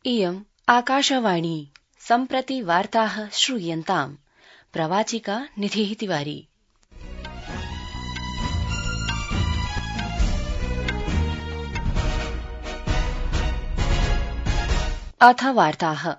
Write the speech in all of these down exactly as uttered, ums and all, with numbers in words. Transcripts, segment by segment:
इयम् आकाशवाणी सम्प्रति वार्ताः श्रूयन्ताम्। प्रवाचिका निधिः तिवारी। अथ वार्ताः।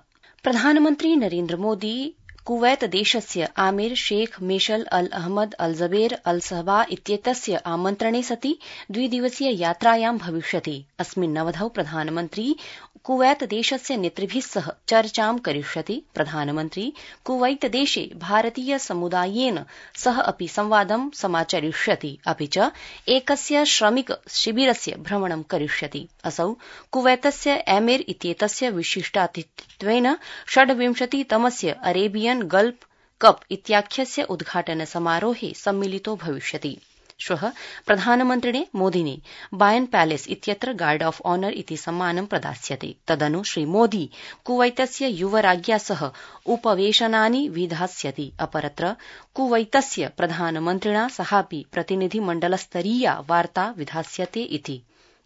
प्रधानमन्त्री नरेन्द्र मोदी कुवैत देशस्य आमिर शेख मेशल अल अहमद अल जबेर अल सहबा इत्येतस्य आमन्त्रणे सति द्विदिवसीय यात्रायां भविष्यति। अस्मिन् अवधौ प्रधानमन्त्री कुवैत देशस्य नेतृभिः सह चर्चां करिष्यति। प्रधानमन्त्री कुवैत देशे भारतीय समुदायेन सह अपि संवादं समाचरिष्यति, अपि च एकस्य श्रमिक शिबिरस्य भ्रमणं करिष्यति। असौ कुवैतस्य एमिर इत्येतस्य विशिष्टातिथित्वेन षड्विंशतितमस्य अरेबियन गल्फ कप इत्याख्यस्य उद्घाटन समारोहे सम्मिलितो भविष्यति। श्वः प्रधानमन्त्रिणे मोदिने बायन पैलेस इत्यत्र गार्ड ऑफ ऑनर इति सम्मानं प्रदास्यते। तदनु श्री मोदी कुवैतस्य युवराज्ञा सह उपवेशनानि विधास्यति। अपरत्र कुवैतस्य प्रधानमन्त्रिणा सहापि प्रतिनिधिमण्डलस्तरीया वार्ता विधास्यते इति।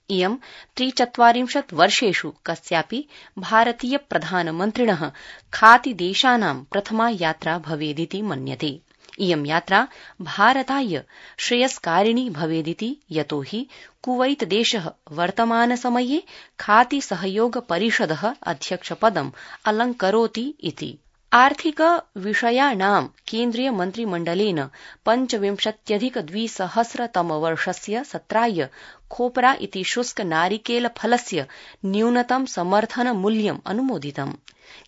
इयं त्रिचत्वारिंशत् वर्षेषु कस्यापि भारतीय प्रधानमन्त्रिणः खातिदेशानां प्रथमा यात्रा भवेदिति मन्यते। इयं यात्रा भारताय श्रेयस्कारिणी भवेदिति, यतो हि कुवैत देशः वर्तमानसमये खाति सहयोग परिषदः अध्यक्षपदम् अलङ्करोति इति। आर्थिक विषयाणां केन्द्रीय मन्त्रिमण्डलेन पञ्चविंशत्यधिक द्विसहस्रतमवर्षस्य सत्राय खोपरा इति शुष्क नारिकेल फलस्य न्यूनतम समर्थन मूल्यम् अनुमोदितम्।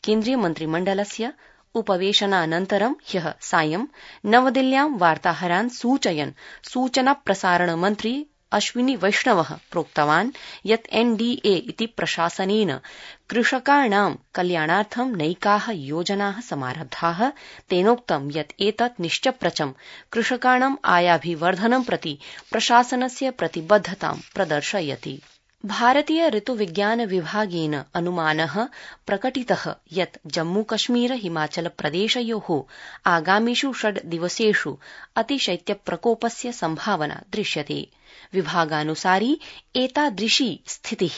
केन्द्रीय मन्त्रिमण्डलस्य उपवेशनानन्तरं ह्यः सायं नवदिल्ल्यां वार्ताहरान् सूचयन् सूचना प्रसारण मन्त्री अश्विनी वैष्णवः प्रोक्तवान् यत् एनडीए इति प्रशासनेन कृषकाणां कल्याणार्थं नैकाः योजनाः समारब्धाः। तेनोक्तं यत् एतत् निश्चप्रचं कृषकाणां आयाभिवर्धनं प्रति प्रशासनस्य प्रतिबद्धतां प्रदर्शयति। भारतीय ऋतुविज्ञान विभागेन अनुमानः प्रकटितः यत् जम्मूकश्मीर हिमाचल प्रदेशयोः आगामिषु षड् दिवसेषु अतिशैत्यप्रकोपस्य सम्भावना दृश्यते। विभागानुसारि एतादृशी स्थितिः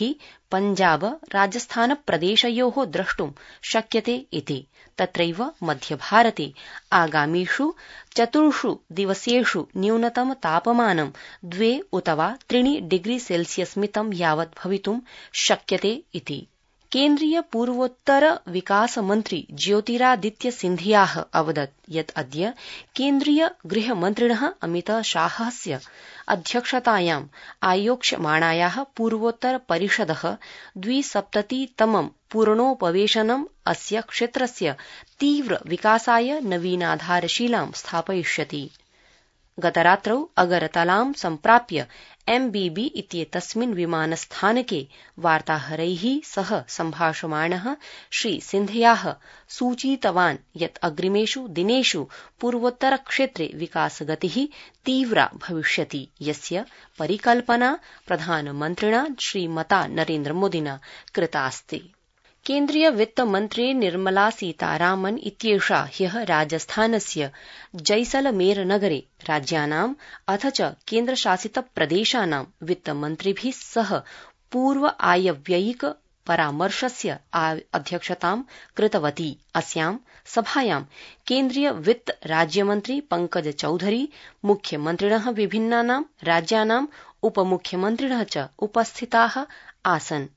पञ्जाब राजस्थान प्रदेशयोः द्रष्टुं शक्यते इति। तत्रैव मध्यभारते आगामिषु चतुर्षु दिवसेषु न्यूनतम तापमानं द्वे उत वा त्रीणि डिग्री सेल्सियस् मितं यावत् भवितुं शक्यते इति। केन्द्रीय पूर्वोत्तर विकास मन्त्री ज्योतिरादित्य सिन्धियाः अवदत् यत् अद्य केन्द्रीय गृहमन्त्रिणः अमित शाहस्य अध्यक्षतायाम् आयोक्ष्यमाणायाः पूर्वोत्तर परिषदः द्विसप्ततितमं पूर्णोपवेशनम् अस्य क्षेत्रस्य तीव्र विकासाय नवीनाधारशिलां स्थापयिष्यति। गतरात्रौ अगरतलां सम्प्राप्य एमबीबी इत्येतस्मिन् विमानस्थानके वार्ताहरैः सह सम्भाषमाणः श्री सिन्धियाः सूचितवान् यत् अग्रिमेषु दिनेषु पूर्वोत्तरक्षेत्रे विकासगतिः तीव्रा भविष्यति, यस्य परिकल्पना प्रधानमन्त्रिणा श्रीमता नरेन्द्र मोदिना कृतास्ति। केन्द्रीय वित्तमन्त्री निर्मला सीतारामन् इत्येषा ह्यः राजस्थानस्य जैसलमेर नगरे राज्यानाम् अथ च केन्द्रशासित प्रदेशानां वित्तमन्त्रिभिः सह पूर्व आयव्ययिक परामर्शस्य अध्यक्षतां कृतवती। अस्यां सभायां केन्द्रीय वित्त राज्यमन्त्री पंकज चौधरी, मुख्यमन्त्रिणः विभिन्नानां राज्यानाम् उपमुख्यमन्त्रिणः च उपस्थिताः आसन्।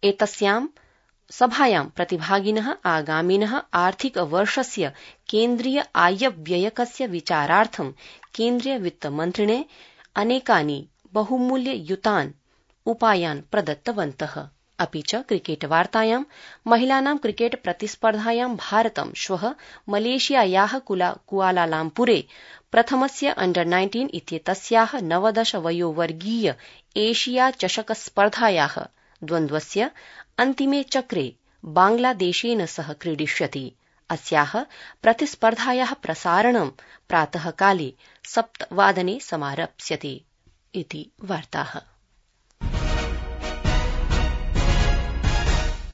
एतस्यां सभायां प्रतिभागिनः आगामिनः आर्थिकवर्षस्य केन्द्रीय आयव्ययकस्य विचारार्थं केन्द्रीय वित्तमन्त्रिणे अनेकानि बहुमूल्ययुतान् उपायान् प्रदत्तवन्तः। अपि च क्रिकेट वार्तायां महिलानां क्रिकेट प्रतिस्पर्धायां भारतं श्वः मलेशियायाः कुआलालम्पुरे प्रथमस्य अंडर नाइन्टीन इत्येतस्याः नवदश वयोवर्गीय एशिया चषक स्पर्धायाः द्वन्द्वस्य अन्तिमे चक्रे बांग्लादेशेन सह क्रीडिष्यति। अस्याः प्रतिस्पर्धायाः प्रसारणं प्रातःकाले सप्तवादने समारप्स्यते इति वार्ताः।